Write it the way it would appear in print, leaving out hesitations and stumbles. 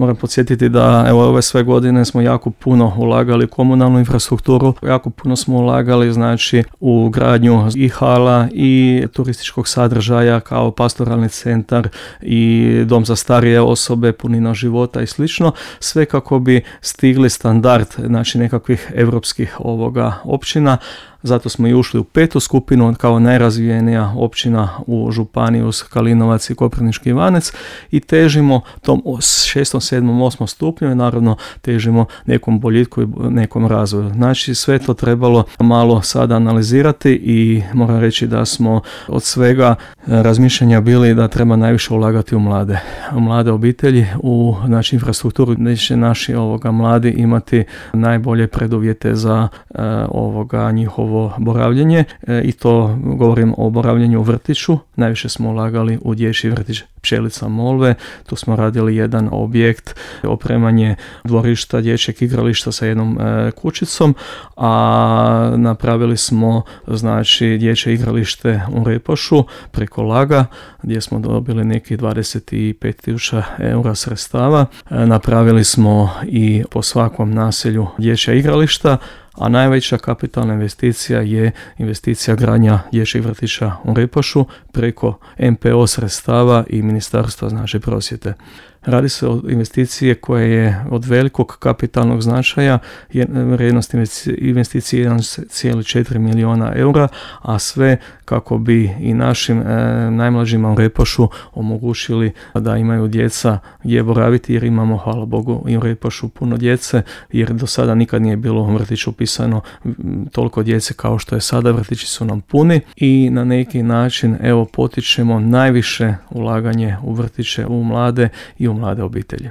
Moram podsjetiti da evo ove sve godine smo jako puno ulagali u komunalnu infrastrukturu, jako puno smo ulagali znači u gradnju i hala i turističkog sadržaja kao pastoralni centar i dom za starije osobe, punina života i slično, sve kako bi stigli standard znači nekakvih europskih općina. Zato smo i ušli u 5. skupinu kao najrazvijenija općina u županiji uz Kalinovac i Koprivnički Ivanec i težimo tom 6., 7., 8. stupnju i naravno težimo nekom boljitku i nekom razvoju. Znači sve to trebalo malo sada analizirati i moram reći da smo od svega razmišljanja bili da treba najviše ulagati u mlade obitelji, u znači, infrastrukturu gdje će naši mladi imati najbolje preduvjete za njihovo boravljenje i to govorim o boravljenju u vrtiću. Najviše smo ulagali u dječji vrtić Pčelica Molve, tu smo radili jedan objekt, opremanje dvorišta, dječjeg igrališta sa jednom kućicom, a napravili smo znači dječje igralište u Repošu preko Laga gdje smo dobili nekih 25.000 eura sredstava. Napravili smo i po svakom naselju dječja igrališta, a najveća kapitalna investicija je investicija gradnja dječjih vrtića u Repošu preko MPO sredstava i Ministarstva znači prosvjete. Radi se o investiciji koja je od velikog kapitalnog značaja, vrijednost investicije 1,4 milijuna eura, a sve kako bi i našim najmlađima u Repošu omogućili da imaju djeca gdje boraviti, jer imamo, hvala Bogu, i u Repošu puno djece, jer do sada nikad nije bilo u vrtiću upisano toliko djece kao što je sada. Vrtići su nam puni i na neki način potičemo najviše ulaganje u vrtiće, u mlade i u mlade obitelji.